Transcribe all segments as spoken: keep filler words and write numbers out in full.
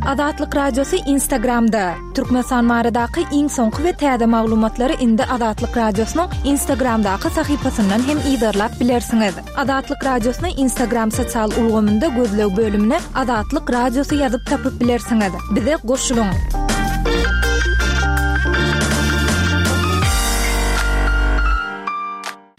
Azatlyk Radiosy Instagramda. Türkmenistan baradaky iň soňky we täze maglumatlary indi Azatlyk Radiosynyň Instagramdaky sahypasyndan hem yzarlap bilersiňiz. Azatlyk Radiosyny Instagram sosial ulgamynda gözleg bölümine Azatlyk Radiosy ýazyp tapyp bilersiňiz. Bize goşulyň.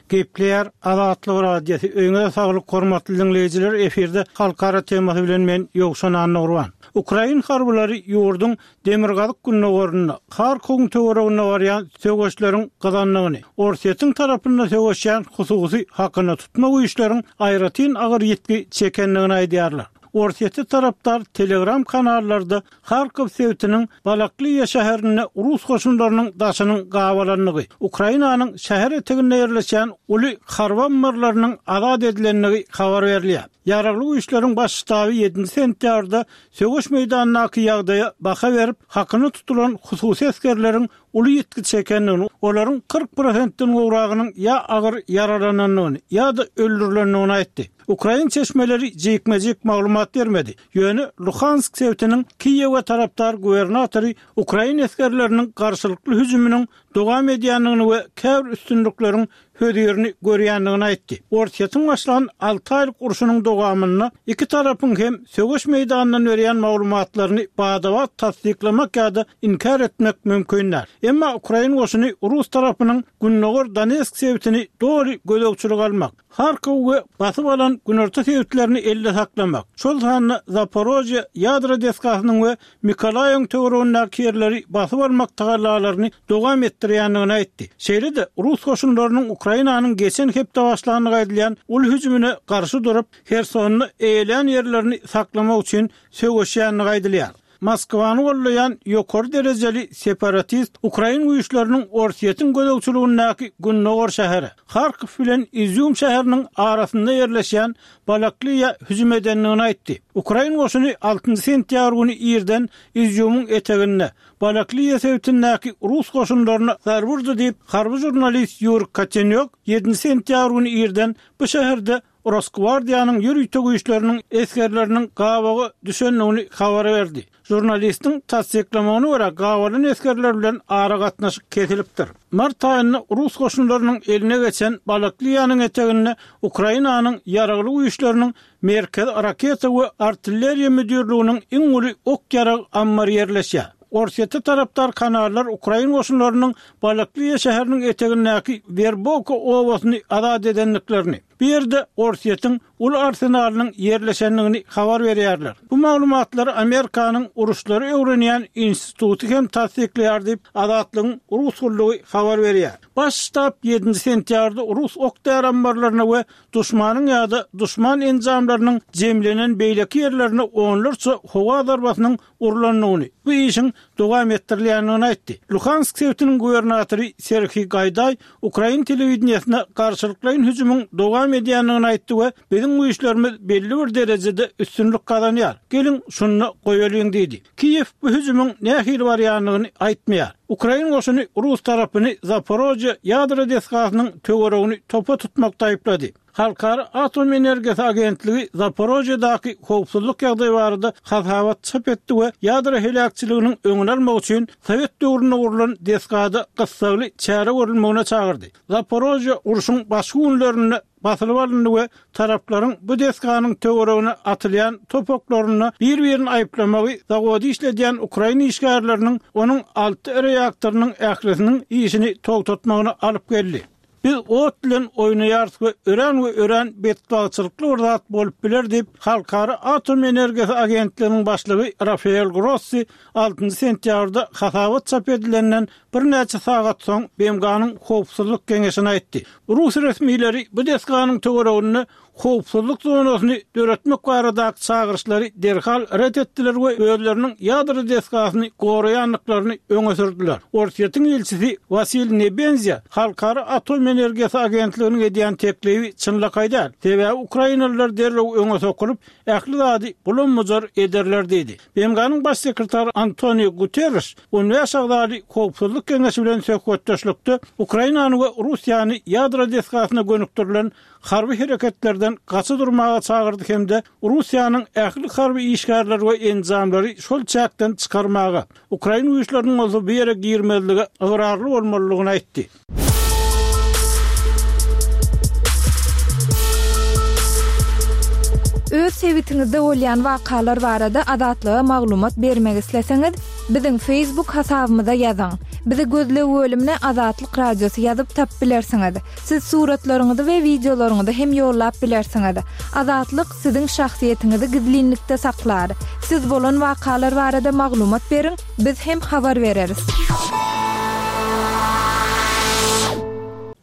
Gepleýär Azatlyk Radiosy. Öýüňize saglyk hormatly diňleýjiler. Efirde halkara temasy bilen men Ýowşan Annagurban. Ukrain harbylary ýurduň demirgazyk gündogarynda Harkowyň töwereginde barýan söweşleriň gyzandygyny, Orsýetiň tarapynda söweşýän hususy hakyna tutma güýçleriň aýratyn agyr ýitgi çekendigini aýdýarlar. Orsýete tarapdar Telegram kanallarda Harkow sebitiniň Balakliýa şäherinde rus goşunlarynyň daşynyň gabalandygy, Ukrainanyň şäher eteginde ýerleşýän uly harby ammarlarynyň azat edilendigi habar berilýär. Ýaragly güýçleriň baş ştaby ýedinji sentýabrda söweş meýdanyndaky ýagdaýa baha berip, hakyna tutulan hususy esgerleriň uly ýitgi çekendigini, olaryň kyrk prosentden gowragynyň ýa agyr ýaralanandygyny, ýa-da öldürilendigini aýtdy. Ukrain çeşmeleri jikme-jik maglumat bermedi. Ýöne Luhansk sebitiniň Kiýewe tarapdar gubernatory ukrain esgerleriniň garşylykly hüjüminiň dowam edýändigini we käbir üstünlikleriň hözirini görýändigini aýtdy. Orsýetiň başlan alty aýlyk urşunyň dowamynda iki tarapyň hem söweş meýdanyndan berýän maglumatlaryny bada-bat tassyklamak ýa-da inkär etmek mümkin däl. Emma ukrain goşuny rus tarapynyň gündogar Donetsk sebitini doly gözegçilige almak, Harkow we basyp alan günorta sebitlerini elde saklamak, şol sanda Zaporožýe ýadro desgasynyň we Mikolaýewiň töweregindäki ýerleri basyp almak tagallalaryny dowam etdirýändigini aýtdy. Şeýle-de, rus goşunlarynyň Ukrainanyň geçen hepde başlandygy aýdylýan uly hüjümine garşy durup, Hersonda eýelän ýerlerini saklamak üçin söweşýändigi aýdylýar. Moskwany gollaýan ýokary derejeli separatist ukrain güýçleriniň Orsýetiň gözegçiligindäki gündogar şäheri, Harkow bilen Izýum şäheriniň arasynda ýerleşýän Balakliýa hüjüm edendigini aýtdy. Ukrain goşuny altynjy sentýabr güni irden Izýumyň eteginde, Balakliýa sebitindäki rus goşunlaryna zarba urdy diýip, harby žurnalist Ýuri Kotenýok ýedinji sentýabr güni irden bu şäherde Rosgwardiýanyň ýörite güýçleriniň esgerleriniň gabawa düşendigini habar berdi. Žurnalistiň tassyklamagyna görä, gabalan esgerler bilen aragatnaşyk kesilipdir. Mart aýynda rus goşunlarynyň eline geçen Balakliýanyň eteginde Ukrainanyň Ýaragly güýçleriniň Merkezi raketa we artilleriýa müdirliginiň iň uly ok-ýarag ammary ýerleşýär. Orsýete tarapdar kanallar ukrain goşunlarynyň Balakliýa şäheriniň etegindäki Werbowka obasyny azat edendiklerini, bu ýerde Orsýetiň uly arsenalynyň ýerleşendigini habar berýärler. Bu maglumatlary Amerikanyň uruşlary öwrenýän instituty hem tassyklaýar diýip, Azatlygyň rus gullugy habar berýär. Baş ştab ýedinji sentýabrda rus ok-däri ammarlaryna we duşmanyň ýa-da duşman enjamlarynyň jemlenen beýleki ýerlerine onlarça howa zarbasynyň urlandygyny, bu işiň dowam etdirilýändigini aýtdy. Luhansk sebitiniň gubernatory Serhiý Gaýdaý ukrain telewideniýesine garşylyklaýyn hüjümiň dowam edýändigini aýtdy we biziň güýçlerimiz belli bir derejede üstünlik gazanýar, geliň, şunda goýalyň diýdi. Kiýew bu hüjümiň nähili barýandygyny aýtmaýar. Ukrain goşuny rus tarapyny Zaporožýe ýadro desgasynyň töweregini topa tutmakda aýyplady. Halkara atom energiýasy agentligi Zaporožýedaky howpsuzlyk ýagdaýy barada hasabat çap etdi we ýadro heläkçiliginiň öňüni almak üçin sowet döwründe gurlan desgada gyssagly çäre görülmegine çagyrdy. Zaporožýe urşuň başky günlerinde basylyp alyndy we taraplaryň bu desganyň töweregine atylýan top oklarynda bir-birini aýyplamagy zawody işledýän ukrain işgärleriniň onuň alty reaktorynyň ählisiniň işini togtatmagyna alyp geldi. Biz ot bilen oýnaýarys we örän we örän betbagtçylykly bir zat bolup biler diýip, Halkara atom energiýasy agentliginiň başlygy Rafael Grossi altynjy sentýabrda hasabat çap edilenden birnäçe sagat soň B M G-nyň Howpsuzlyk geňeşine aýtdy. Rus resmileri bu desganyň töwereginde howpsuzlyk zonasyny döretmek baradaky çagyryşlary derhal ret etdiler we özleriniň ýadro desgasyny goraýandyklaryny öňe sürdüler. Orsýetiň ilçisi Wasiliý Nebenzýa Halkara atom energiýasy agentliginiň edýän teklibi çynlakaý däl, sebäbi ukrainalylar derrew öňe sokulyp, ähli zady bulam-bujar ederler diýdi. B M G-nyň baş sekretary Antonio Guterreş on bäş agzaly Howpsuzlyk geňeşi bilen söhbetdeşlikde Ukrainany we Russiýany ýadro desgasyna gönükdirilen harby hereketlerden gaça durmaga çagyrdy hem-de Russiýanyň ähli harby işgärleri we enjamlary şol çäkden çykarmaga, Ukraina güýçleriniň bolsa bu ýere girmezlige ygrarly bolmalydygyny aýtdy. Öz sebitiňizde bolýan wakalar barada Azatlyga maglumat bermek isleseňiz, biziň Facebook hasabymyza ýazyň. Bizi gözleg bölümine Azatlyk Radiosy ýazyp tapyp bilersiňiz. Siz suratlaryňyzy we wideolaryňyzy hem ýollap bilersiňiz. Azatlyk siziň şahsyýetiňizi gizlinlikde saklar. Siz bolan wakalar barada maglumat beriň, biz hem habar bereris.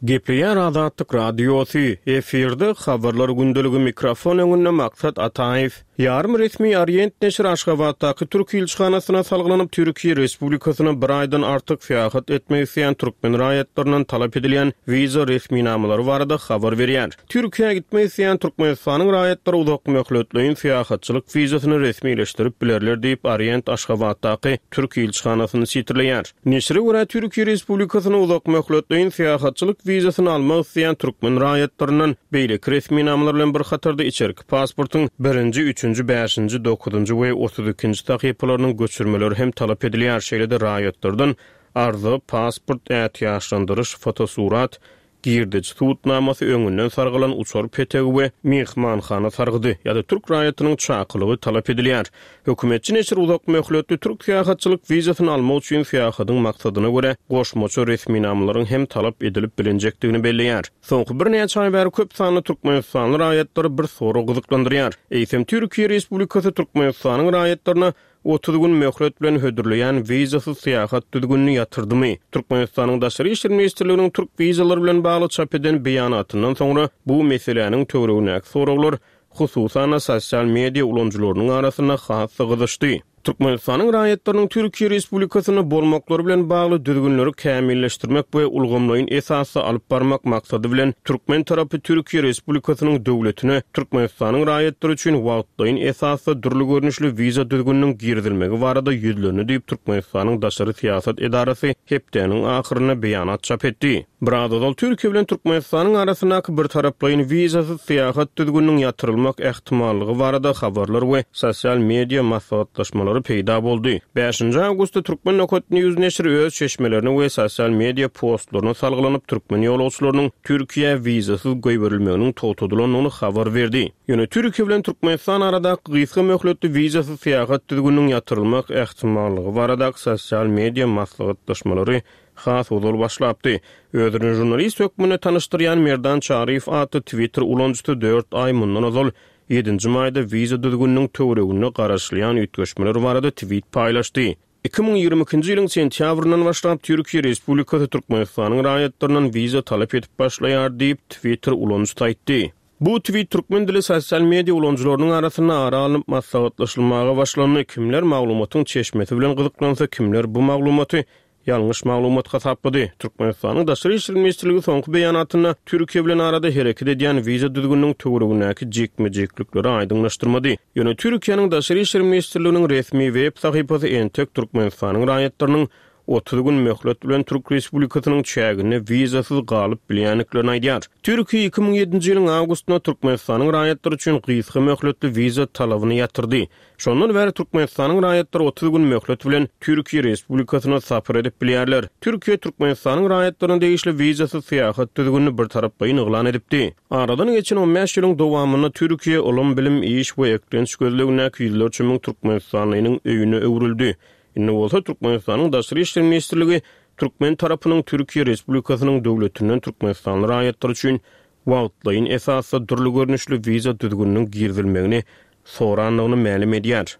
Gepleýär Azatlyk Radiosy, efirde habarlar gündeligi mikrofon öňünde Maksat Ataýew. Ýarym resmi Orient neşiri Aşgabatdaky Türk ilçihanasyna salgylanyp Türkiýe Respublikasyna bir aýdan artyk syýahat etmek isleýän türkmen raýatlaryndan talap edilýän wiza resminamalary barada habar berýär. Türkiýä gitmek isleýän Türkmenistanyň raýatlary uzak möhletleýin syýahatçylyk wizasyny resmileşdirip bilerler diýip Orient Aşgabatdaky Türk ilçihanasyny sitirleýär. Neşire görä Türkiýe Respublikasyna uzak möhletleýin syýahatçylyk wizasyny almak isleýän türkmen raýatlaryndan beýleki resminamalar bilen bir hatarda içerki pasportyň birinji, üçünji, bäşinji, dokuzynjy we otuz ikinji sahypalarynyň göçürmeleri hem talap edilýär. Şeýle-de raýatlardan arza, pasport, ätiýaçlandyryş, fotosurat, girdeji subutnamasy öňünden sargylan uçar petegi we mehmanhana sargydy ýa-da türk raýatynyň çakylygy talap edilýär. Hökümetçi neşir uzak möhletli türk syýahatçylyk wizasyny almak üçin syýahatyň maksadyna görä goşmaça resminamalaryň hem talap edilip bilinjekdigini belleýär. Soňky birnäçe aý bäri köp sanly Türkmenistanly raýatlary bir sorag gyzyklandyrýar. Eýsem Türkiýe Respublikasy Türkmenistanyň raýatlaryna otuz gün möhlet bilen hödürleýän wizasyz syýahat düzgünini ýatyrdymy? Türkmenistanyň Daşary işler ministrliginiň türk wizalary bilen bagly çap eden beýanatyndan soňra bu meseläniň töweregindäki soraglar hususan sosial media ulanyjylarynyň arasynda has gyzyşdy. Türkmenistanyň raýatlarynyň Türkiýe Respublikasynda bolmaklary bilen bagly düzgünleri kämilleşdirmek we ulgamlaýyn esasda alyp barmak maksady bilen türkmen tarapy Türkiýe Respublikasynyň döwletine Türkmenistanyň raýatlary üçin wagtlaýyn esasda dürli görnüşli wiza düzgüniniň girizilmegi barada ýüzlendi diýip Türkmenistanyň Daşary syýasat edarasy hepdäniň ahyrynda beýanat çap etdi. Biraz ozal Türkiýe bilen Türkmenistanyň arasyndaky bir taraplaýyn wizasyz syýahat düzgüniniň ýatyrylmak ähtimallygy barada habarlar we sosial media maslahatlaşmalary peýda boldy. Bäşinji awgustda Türkmen Nokat News neşiri öz çeşmelerini we sosial media postlaryna salgylanyp türkmen ýolagçylarynyň Türkiýä wizasyz goýberilmeginiň togtadylandygyny habar berdi. Ýöne Türkiýe bilen Türkmenistan aradaky gysga möhletli wizasyz syýahat düzgüniniň ýatyrylmak ähtimallygy baradaky sosial media maslahatlaşmalary has ozal başlapdy. Özüni jurnalist hökmünde tanyşdyrýan Merdan Çaryýew atly Twitter ulanyjysy dört aý mundan ozal ýedinji maýda wiza düzgüniniň töwereginde garaşylýan üýtgeşmeler barada tweet paýlaşdy. Iki müň ýigrimi ikinji ýylyň sentýabryndan başlap Türkiýe Respublikasy Türkmenistanyň raýatlaryndan wiza talap edip başlaýar diýip Twitter ulanyjysy aýtdy. Bu tweet türkmen dili sosial media ulanyjylarynyň arasynda ara alnyp maslahatlaşylmaga başlandy. Kimler maglumatyň çeşmesi bilen gyzyklansa, kimler bu maglumaty ýalňyş maglumat hasaplady. Türkmenistanyň Daşary işler ministrligi soňky beýanatynda Türkiýe bilen arada hereket edýän wiza düzgüniniň töweregindäki jikme-jiklikleri aýdyňlaşdyrmady. Ýöne Türkiýäniň Daşary işler ministrliginiň resmi web sahypasy entek Türkmenistanyň raýatlarynyň otuz gün möhlet bilen Türk Respublikasynyň çäginde wizasyz galyp bilýändiklerini aýdýar. Türkiýe iki müň ýedinji ýylyň awgustynda Türkmenistanyň raýatlary üçin gysga möhletli wiza talabyny ýatyrdy. Şondan bäri Türkmenistanyň raýatlary otuz gün möhlet bilen Türkiýe Respublikasyna sapar edip bilýärler. Türkiýe Türkmenistanyň raýatlaryna degişli wizasyz syýahat düzgünini bir taraplaýyn yglan edipdi. Aradan geçen on bäş ýylyň dowamynda Türkiýe ylym, bilim, iş we eklenç gözlegindäki ýüzlerçe müň türkmenistanlynyň öýüne öwrüldi. Indi bolsa Türkmenistanyň Daşary işler ministrligi türkmen tarapynyň Türkiýe Respublikasynyň döwletinden türkmenistanly raýatlar üçin wagtlaýyn esasda dürli görnüşli wiza düzgüniniň girizilmegini sorandygyny mälim edýär.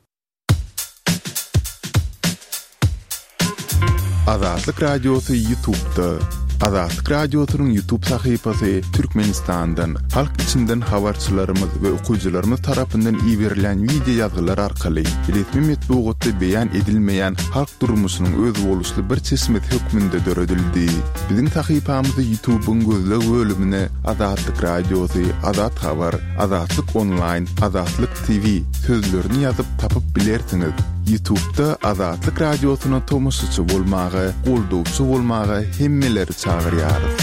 Azatlyk Radiosy YouTube'da. Azatlyk Radiosynyň YouTube sahypasy Türkmenistandan, halk içinden habarçylarymyz we okyjylarymyz tarapyndan iberilen video ýazgylar arkaly resmi metbugatda beýan edilmeýän halk durmuşynyň özboluşly bir çeşmesi hökmünde döredildi. Biziň sahypamyzy YouTube'yň gözleg bölümine Azatlyk Radiosy, Azat Habar, Azatlyk Online, Azatlyk T V sözlerini ýazyp tapyp bilersiňiz. YouTube'da Azatlyk Radiosyna tomaşaçy bolmaga, goldawçy bolmaga hemmeleri çagyrýarys.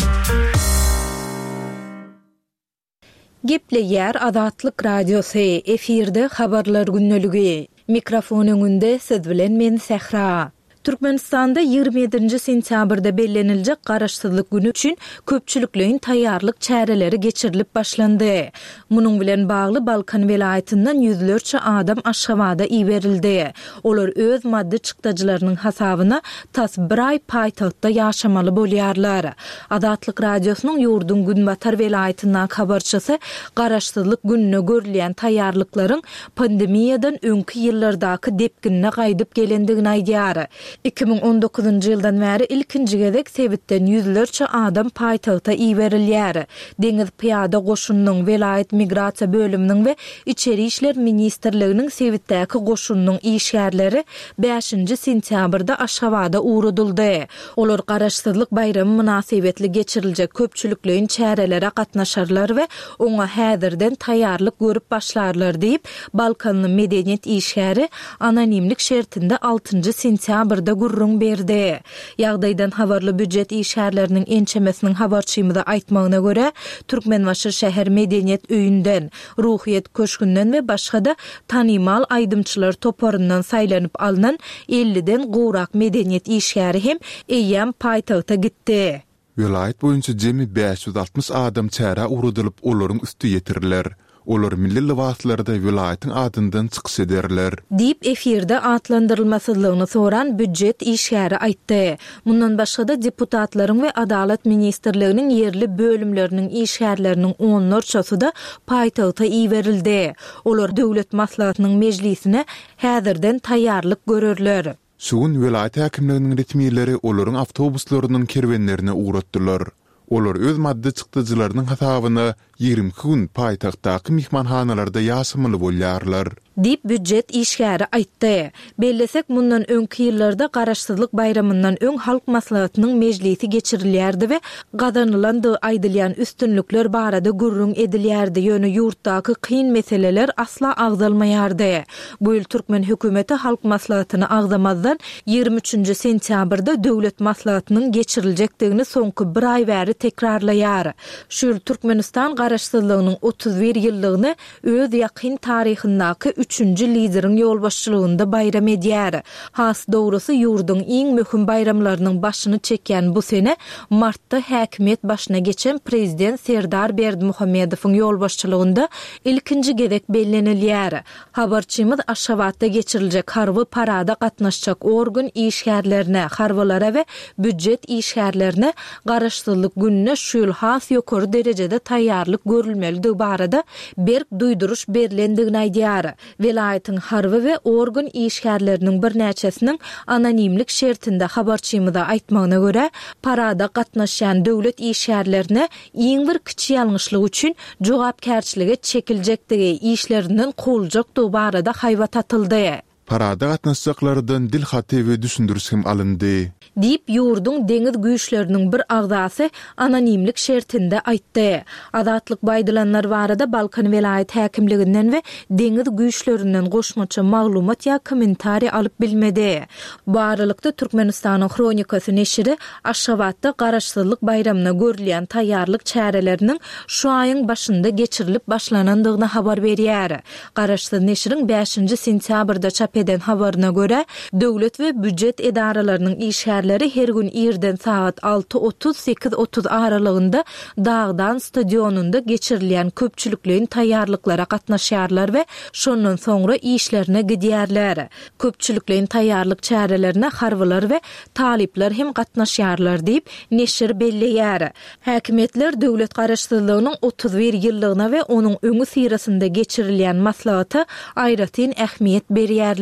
Gepleýär Azatlyk Radiosy, efirde Habarlar gündeligi. Mikrofon öňünde siz bilen men Sähra. Türkmenistanda ýigrimi ýedinji sentýabrda belleniljek Garaşsyzlyk güni üçin köpçülikleýin taýýarlyk çäreleri geçirilip başlandy. Munuň bilen bagly Balkan welaýatyndan ýüzlerçe adam Aşgabada iberildi. Olar öz maddy çykdajylarynyň hasabyna tas bir aý paýtagtda ýaşamaly bolýarlar. Azatlyk Radiosynyň ýurduň günbatar welaýatyndaky habarçysy Garaşsyzlyk gününe görülýän taýýarlyklaryň pandemiýadan öňki ýyllardaky depginine gaýdyp gelendigini aýdýar. Iki müň on dokuzynjy ýyldan bäri ilkinji gezek sebitden ýüzlerçe adam paýtagta iberilýär. Deňiz pyýada goşunynyň, welaýat migrasiýa bölüminiň we Içeri işler ministrliginiň sebitdäki goşunynyň işgärleri bäşinji sentýabrda Aşgabada ugradyldy. Olar Garaşsyzlyk baýramy mynasybetli geçiriljek köpçülikleýin çärelere gatnaşarlar we oňa häzirden taýýarlyk görüp başlarlar diýip, balkanly medeniýet işgäri anonimlik şertinde altynjy sentýabrda gürrüň berdi. Ýagdaýdan habarly býujet işgärleriniň ençemesiniň habarçymyza aýtmagyna görä, Türkmenbaşy şäher medeniýet öýünden, Ruhyýet köşgünden we başga-da tanymal aýdymçylar toparyndan saýlanyp alnan elliden gowrak medeniýet işgäri hem eýýäm paýtagta gitdi. Welaýat boýunça jemi bäş ýüz altmyş adam çärä ugradylyp, olaryň üsti ýetiriler. Olar milli lybaslarda welaýatyň adyndan çykyş ederler. Diýip, efirde atlandyrylmasyzlygyny soran býujet işgäri aýtdy. Mundan başga-da deputatlaryň we Adalat ministrliginiň ýerli bölümleriniň işgärleriniň onlarçasy-da paýtagta iberildi. Olar Döwlet maslahatynyň mejlisine häzirden taýýarlyk görerler. Şu gün welaýat häkimliginiň resmileri olaryň awtobuslarynyň kerwenlerini ugratdylar. Olar öz maddy çykdajylarynyň hasabyna ýigrimi iki gün paýtagtdaky myhmanhanalarda ýaşamaly bolýarlar. Diýip, býujet işgäri aýtdy. Bellesek, mundan öňki ýyllarda Garaşsyzlyk baýramyndan öň Halk Maslahatynyň mejlisi geçirilýärdi we gazanylandygy aýdylýan üstünlikler barada gürrüň edilýärdi, ýöne ýurtdaky kyn meseleler asla agzalmaýardy. Bu ýyl türkmen hökümeti Halk Maslahatyny agzamazdan ýigrimi üçünji sentýabrda Döwlet Maslahatynyň geçiriljekdigini soňky bir aý bäri tekrarlaýar. Şu ýyl Türkmenistan Garaşsyzlygynyň otuz bir ýyllygyny öz ýakyn taryhyndaky üçünji lideriň ýolbaşçylygynda baýram edýär. Has dogrusy, ýurduň iň möhüm baýramlarynyň başyny çekýän bu sene martda häkimiýet başyna geçen prezident Serdar Berdimuhamedowyň ýolbaşçylygynda ilkinji gezek bellenilýär. Habarçymyz Aşgabatda geçiriljek harby parada gatnaşjak organ işgärlerine, harbylara we býujet işgärlerine Garaşsyzlyk gününe şu ýyl has ýokary derejede taýýarlyk görülmelidigi barada berk duýduryş berlendigini aýdýar. Welaýatyň harby we organ işgärleriniň birnäçesiniň anonimlik şertinde habarçymyza aýtmagyna görä, parada gatnaşýan döwlet işgärlerine iň bir kiçi ýalňyşlyk üçin jogapkärçilige çekiljekdigi, işlerinden kowuljakdygy barada haýbat atyldy. Parada gatnaşjaklardan dil haty we düşündiriş hem alyndy. Diýip, ýurduň deňiz güýçleriniň bir agzasy anonimlik şertinde aýtdy. Azatlyk bu aýdylanlar barada Balkan welaýat häkimliginden we deňiz güýçlerinden goşmaça maglumat ýa kommentariý alyp bilmedi. Bu aralykda Türkmenistanyň Hronikasy neşiri Aşgabatda Garaşsyzlyk baýramyna görülýän taýýarlyk çäreleriniň şu aýyň başynda geçirilip başlanandygyny habar berýär. Garaşsyz neşiriň bäşinji sentýabrda çap eden habaryna görä, döwlet we býujet edaralarynyň işgärleri her gün irden sagat alty otuz, sekiz otuz aralygynda Dagdan stadionynda geçirilýän köpçülikleýin taýýarlyklara gatnaşýarlar we şondan soňra işlerine gidýärler. Köpçülikleýin taýýarlyk çärelerine harbylar we talyplar hem gatnaşýarlar diýip, neşir belleýär. Häkimiýetler döwlet garaşsyzlygynyň otuz bir ýyllygyna we onuň öňüsyrasynda geçirilýän maslahata aýratyn ähmiýet berýärler.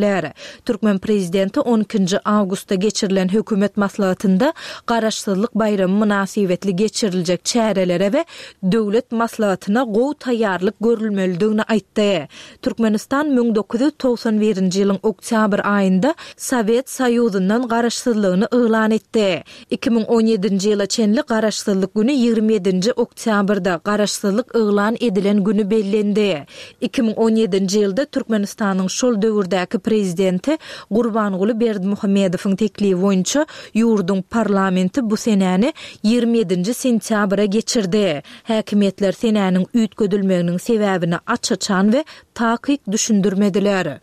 Türkmen prezidenti on ikinji awgustda geçirilen hökümet maslahatynda Garaşsyzlyk baýramy mynasybetli geçiriljek çärelere we döwlet maslahatyna gowy taýýarlyk görülmelidigini aýtdy. Türkmenistan müň dokuz ýüz togsan birinji ýylyň oktýabr aýynda Sowet Soýuzyndan garaşsyzlygyny yglan etdi. Iki müň on ýedinji ýyla çenli Garaşsyzlyk güni ýigrimi ýedinji oktýabrda, Garaşsyzlyk yglan edilen güni bellendi. Iki müň on ýedinji ýylda Türkmenistanyň şol döwürdäki prezidenti Gurbanguly Berdimuhamedowyň teklibi boýunça Ýurduň parlamenti bu senäni ýigrimi ýedinji sentýabra geçirdi. Häkimiýetler senäniň üýtgedilmeginiň sebäbini aç-açan we takyk düşündirmediler.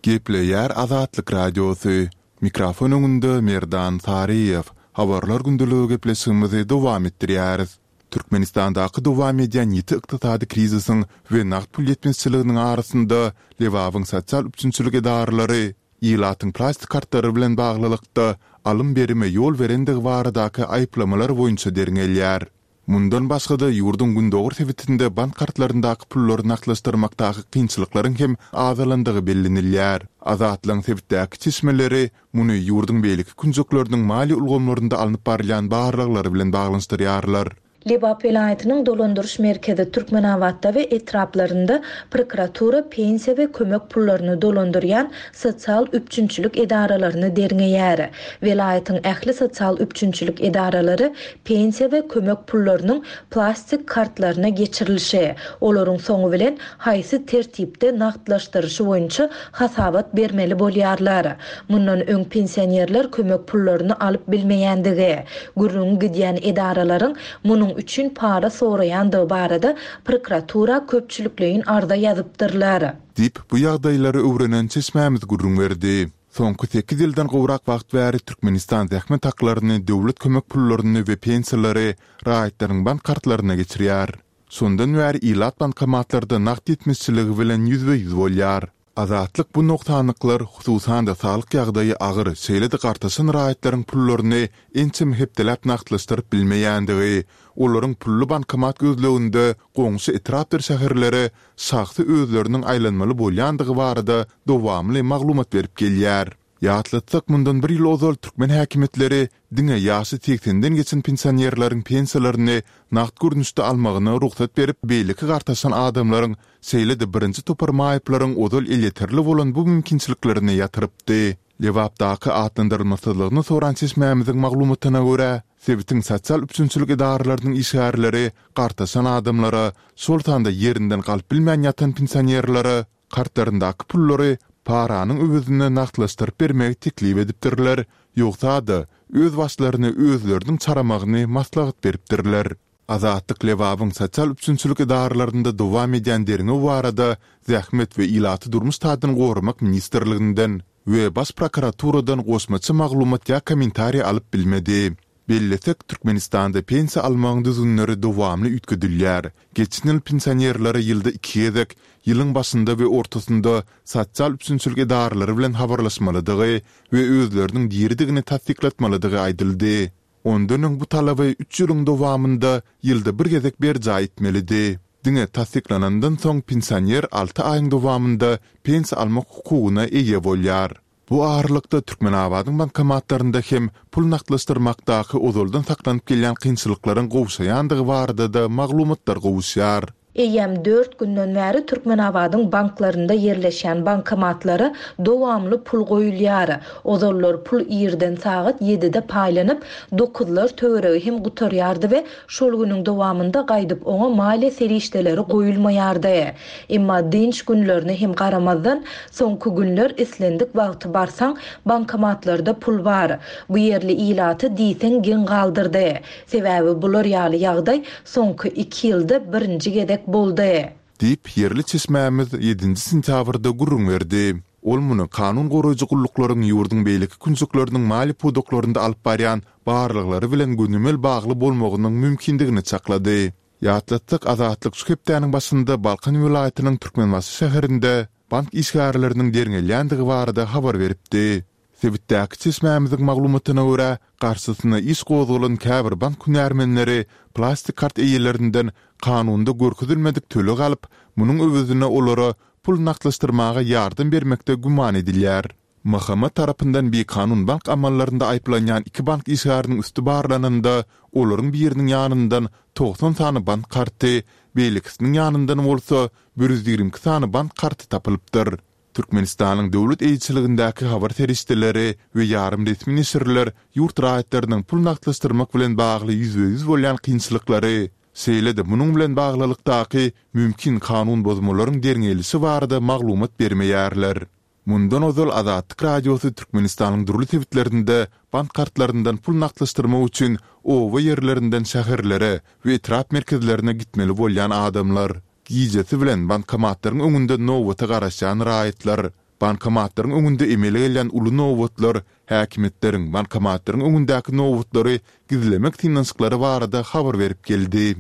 Gepleýär Azatlyk Radiosy, Mikrofon öňünde Merdan Saryýew. Habarlar gündeligi gepleşigimizi dowam etdirýäris. Türkmenistandaky dowam edýän ýiti ykdysady krizisiň we nagt pul ýetmezçiliginiň arasynda Lebabyň sosial üpjünçilik edaralary ilatyň plastik kartlary bilen baglylykda alym-berime ýol berendigi baradaky aýyplamalar boýunça derňelýär. Mundan başga-da, ýurduň gündogar sebitinde bank kartlaryndaky pullary nagtlaşdyrmakdaky kynçylyklaryň hem azalandygy bellenilýär. Azatlygyň sebitdäki çeşmeleri muny ýurduň beýleki künjekleriniň maliýe ulgamlarynda alnyp barylýan barlaglar bilen baglanyşdyrýarlar. Lebap welaýatynyň dolandyryş merkezi Türkmenabatda we etraplarynda prokuratura pensiýa we kömek pullaryny dolandyrýan sosial üpjünçilik edaralaryny derňeýär. Welaýatyň ähli sosial üpjünçilik edaralary pensiýa we kömek pullarynyň plastik kartlaryna geçirilişi, olaryň soňy bilen haýsy tertipde nagtlaşdyryşy boýunça hasabat bermeli bolýarlar. Mundan öň pensionerler kömek pullaryny alyp bilmeýändigi, gürrüňi gidýän edaralaryň munuň üçin para soraýandygy barada prokuratura köpçülikleýin arza ýazypdyrlar. Diýip, bu ýagdaýlary öwrenen çeşmämiz gürrüň berdi. Soňky sekiz ýyldan gowrak wagt bäri Türkmenistan zähmet haklaryny, döwlet kömek pullaryny we pensiýalary raýatlaryň bank kartlaryna geçirýär. Şondan bäri ilat bankomatlarda nagt ýetmezçiligi bilen ýüzbe-ýüz bolýar. Azatlyk bu nogsanlyklar, hususan-da saglyk ýagdaýy agyr, şeýle-de gartaşan raýatlaryň pullaryny ençeme hepdeläp nagtlaşdyryp bilmeýändigi, olaryň pully bankomat gözleginde goňşy etrapdyr şäherlere şahsy özleriniň aýlanmaly bolýandygy barada dowamly maglumat berip gelýär. Ýatlatsak, mundan bir ýyl ozal türkmen häkimiýetleri diňe ýaşy segsenden geçen pensionerleriň pensiýalaryny nagt görnüşde almagyna rugsat berip, beýleki gartaşan adamlaryň, şeýle-de birinji topar maýyplaryň ozal elýeterli bolan bu mümkinçiliklerini ýatyrypdy. Lebapdaky atlandyrylmasyzlygyny soran çeşmämiziň maglumatyna görä, sebitiň sosial üpjünçilik edaralarynyň işgärleri gartaşan adamlara, şol sanda ýerinden galyp bilmän ýatan pensionerlere Kartlaryndaky pullary paranyň öwezine nagtlaşdyryp bermegi teklip edipdirler, ýogsa-da, öz başlaryny özleriniň çaramagyny maslahat beripdirler. Azatlyk Lebabyň sosial üpjünçilik edaralarynda dowam edýän derňew barada Zähmet we ilaty durmuş taýdan goramak ministrliginden we Baş prokuraturadan goşmaça maglumat ýa kommentariý alyp bilmedi. Bellesek, Türkmenistanda pensiýa almagyň düzgünleri dowamly üýtgedilýär. Geçen ýyl pensionerlere ýylda iki gezek, ýylyň başynda we ortasynda sosial üpjünçilik edaralary bilen habarlaşmalydygy we özleriniň diridigini tassyklatmalydygy aýdyldy. Ondan öň bu talaby üç ýylyň dowamynda ýylda bir gezek berjaý etmelidi. Diňe tassyklanandan soň pensioner alty aýyň dowamynda pensiýa almak hukugyna eýe bolýar. Bu aralykda, Türkmenabadyň bankomatlarynda hem pul nagtlaşdyrmakdaky ozaldan saklanyp gelýän kynçylyklaryň gowşaýandygy barada-da maglumatlar gowuşýar. Eýýäm dört günden bäri Türkmenabadyň banklarynda ýerleşýän bankomatlara dowamly pul goýulýar. Ozallar pul irden sagat ýedide paýlanyp, dokuzlar töweregi hem gutarýardy we şol günüň dowamynda gaýdyp oňa maliýe serişdeleri goýulmaýardy. Emma dynç günlerine hem garamazdan, soňky günler islendik wagty barsaň, bankomatlarda pul bar. Bu ýerli ilaty diýseň geň galdyrdy. Sebäbi bular ýaly ýagdaý soňky iki ýylda birinji gezek boldy. Diýip, ýerli çeşmämiz ýedinji sentýabrda gürrüň berdi. Ol muny kanun goraýjy gulluklaryň ýurduň beýleki künjekleriniň maliýe pudaklarynda alyp barýan barlaglary bilen gönümel bagly bolmagynyň mümkindigini çaklady. Ýatlatsak, Azatlyk şu hepdäniň başynda Balkan welaýatynyň Türkmenbaşy şäherinde bank işgärleriniň derňelýändigi barada habar beripdi. Sebitdäki çeşmämiziň maglumatyna görä, garşysyna iş gozgalan käbir bank hünärmenleri plastik kart eýelerinden kanunda görkezilmedik töleg alyp, munuň öwezine olara pul nagtlaşdyrmaga ýardam bermekde güman edilýär. M H M tarapyndan bikanun bank amallarynda aýyplanýan iki bank işgäriniň üsti barlananda, olaryň biriniň ýanyndan togsan sany bank karty, beýlekisiniň ýanyndan bolsa bir ýüz ýigrimi iki sany bank karty tapylypdyr. Türkmenistanyň döwlet eýeçiligindäki habar serişdeleri we ýarym resmi neşirler ýurt raýatlarynyň pul nagtlaşdyrmak bilen bagly ýüzbe-ýüz bolýan kynçylyklary, şeýle-de munuň bilen baglylykdaky mümkin kanun bozmalaryň derňelişi barada maglumat bermeýärler. Mundan ozal Azatlyk Radiosy Türkmenistanyň dürli sebitlerinde bank kartlaryndan pul nagtlaşdyrmak üçin oba ýerlerinden şäherlere we etrap merkezlerine gitmeli bolýan adamlar, gijesi bilen bankomatlaryň öňünde nobata garaşýan raýatlar, bankomatlaryň öňünde emele gelýän uly nobatlar, häkimiýetleriň bankomatlaryň öňündäki nobatlary gizlemek synanyşyklary barada habar berip geldi.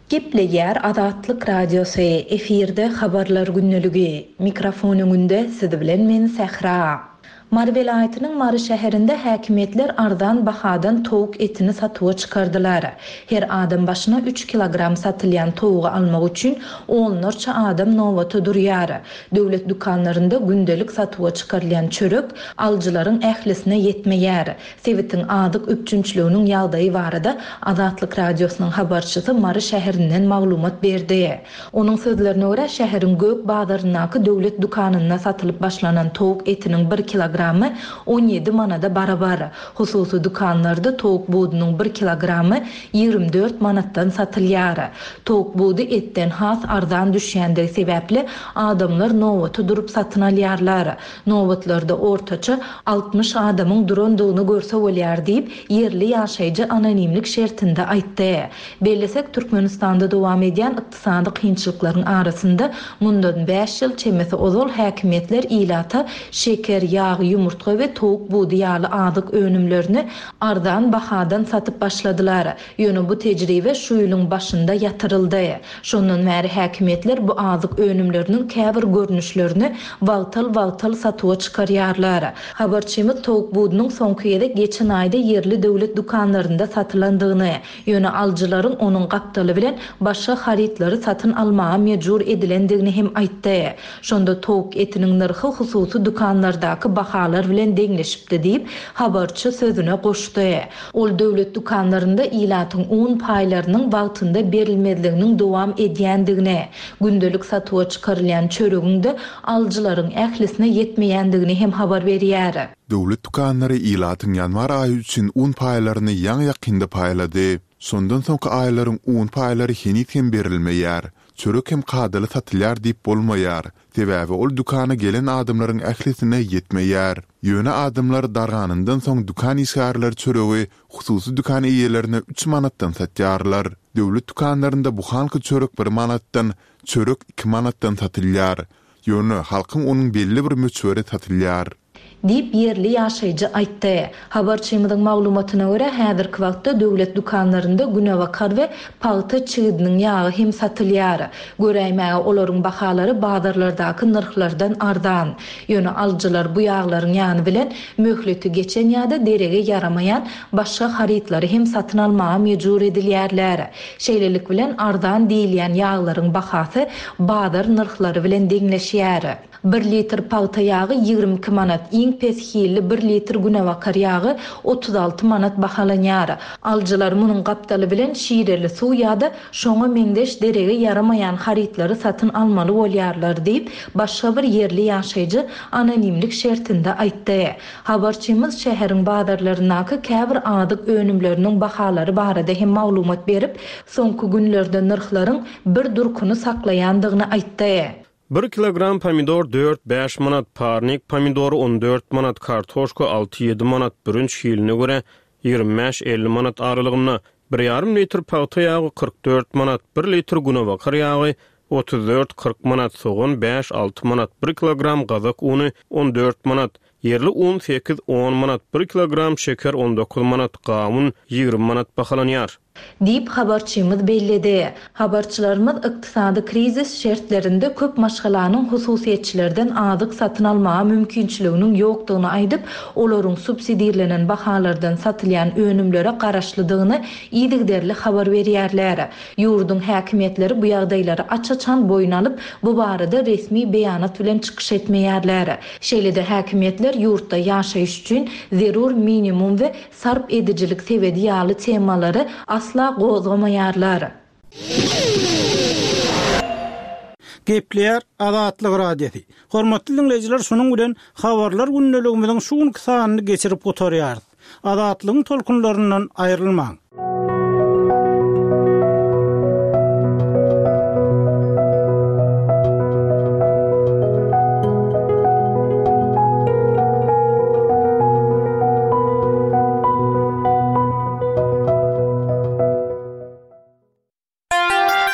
Gepleýär Azatlyk Radiosy, efirde Habarlar gündeligi. Mikrofon öňünde siz bilen men Sähra. Mary welaýatynyň Mary şäherinde häkimiýetler arzan bahadan towuk etini satuwa çykardylar. Her adam başyna üç kilogram satylýan towugy almak üçin onlarça adam nobata durýar. Döwlet dükanlarynda gündelik satuwa çykarylýan çörek alyjylaryň ählisine ýetmeýär. Sebitiň azyk üpjünçiliginiň ýagdaýy barada Azatlyk Radiosynyň habarçysy Mary şäherinden maglumat berdi. Onuň sözlerine görä, şäheriň Gök bazaryndaky döwlet dükanynda satylyp başlanan towuk etiniň bir kilogramy on ýedi manada barabar. Hususy dükanlarda towuk budunyň bir kilogramy ýigrimi dört manatdan satylýar. Towuk budy etden has arzan düşýändigi sebäpli adamlar nobata durup satyn alýarlar. Nobatlarda ortaça altmyş adamyň durandygyny görse bolýar diýip, ýerli ýaşaýjy anonimlik şertinde aýtdy. Bellesek, Türkmenistanda dowam edýän ykdysady kynçylyklaryň arasynda mundan bäş ýyl çemesi ozal häkimiýetler ilata şeker, ýag, ýumurtga we towuk budy ýaly azyk önümlerini arzan bahadan satyp başladylar. Ýöne bu tejribe şu ýylyň başynda ýatyryldy. Şondan bäri häkimiýetler bu azyk önümleriniň käbir görnüşlerini wagtal-wagtal satuwa çykarýarlar. Habarçymyz towuk budunyň soňky gezek geçen aýda ýerli döwlet dükanlarynda satylandygyny, ýöne alyjylaryň onuň gapdaly bilen başga harytlary satyn almaga mejbur edilendigini hem aýtdy. Şonda towuk etiniň nyrhy hususy dükanlardaky bahalar bilen deňleşipdi diýip, habarçy sözüne goşdy. Ol döwlet dükanlarynda ilatyň un paýlarynyň wagtynda berilmezliginiň dowam edýändigini, gündelik satuwa çykarylýan çöregiň-de alyjylaryň ählisine ýetmeýändigini hem habar berýär. Döwlet dükanlary ilatyň ýanwar aýy üçin un paýlaryny ýaňy-ýakynda paýlady. Şondan soňky aýlaryň un paýlary heniz hem berilmeýär. Çörek hem kadaly satylýar diýip bolmaýar. Sebäbi ol dükana gelen adamlaryň ählisine ýetmeýär. Ýöne adamlar darganyndan soň dükan işgärleri çöregi hususy dükan eýelerine üç manatdan satýarlar. Döwlet dükanlarynda buhanka çörek bir manatdan, çörek iki manatdan satylýar. Ýöne halkyň onuň belli bir möçberi satylýar. Diýip ýerli ýaşaýjy aýtdy. Habarçymyzyň maglumatyna görä, häzirki wagtda döwlet dükanlarynda günebakar we pagta çigidiniň ýagy hem satylýar. Göräýmäge olaryň bahalary bazarlardaky nyrhlardan arzan. Ýöne alyjylar bu ýaglaryň ýany bilen möhleti geçen ýa-da derege ýaramaýan başga harytlary hem satyn almaga mejbur edilýärler. Şeýlelik bilen arzan diýilýän ýaglaryň bahasy bazar nyrhlary bilen deňleşýär. Bir litr pagta ýagy ýigrimi iki manat, iň pes hilli bir litr günebakar ýagy otuz alty manat bahalanýar. Alyjylar munuň gapdaly bilen şireli suw ýa-da şoňa meňzeş derege ýaramaýan harytlary satyn almaly bolýarlar diýip, başga bir ýerli ýaşaýjy anonimlik şertinde aýtdy. Habarçymyz şäheriň bazarlaryndaky käbir azyk önümleriniň bahalary barada hem maglumat berip, soňky günlerde nyrhlaryň bir durkuny saklaýandygyny aýtdy. Bir kilogram pomidor dört bäş manat, parnik pomidory on dört manat, kartoşka alty ýedi manat, bürünç hiline görä ýigrimi bäş elli manat aralygynda, bir ýarym litr pagta ýagy kyrk dört manat, bir litr günebakar ýagy otuz dört kyrk manat, sogan bäş alty manat, bir kilogram gazak uny on dört manat, ýerli un sekiz on manat, bir kilogram şeker on dokuz manat, gawun ýigrimi manat bahalanýar. Diýip habarçymyz belledi. Habarçylarymyz ykdysady krizis şertlerinde köp maşgalanyň hususyýetçilerden azyk satyn almaga mümkinçiliginiň ýokdugyny aýdyp, olaryň subsidirlenen bahalardan satylýan önümlere garaşlydygyny yzygiderli habar berýärler. Ýurduň häkimiýetleri bu ýagdaýlary aç-açan boýun alyp, bu barada resmi beýanat bilen çykyş etmeýärler. Şeýle-de häkimiýetler ýurtda ýaşaýyş üçin zerur minimum we sarp edijilik sebedi ýaly temalary asla gozgamaýarlar. Gepleýär Azatlyk Radiosy. Hormatly dinleýjiler, şunuň bilen habarlar gündeligimiziň şu günki sanyny geçirip gutarýarys. Azatlygyň tolkunlaryndan aýrylmaň.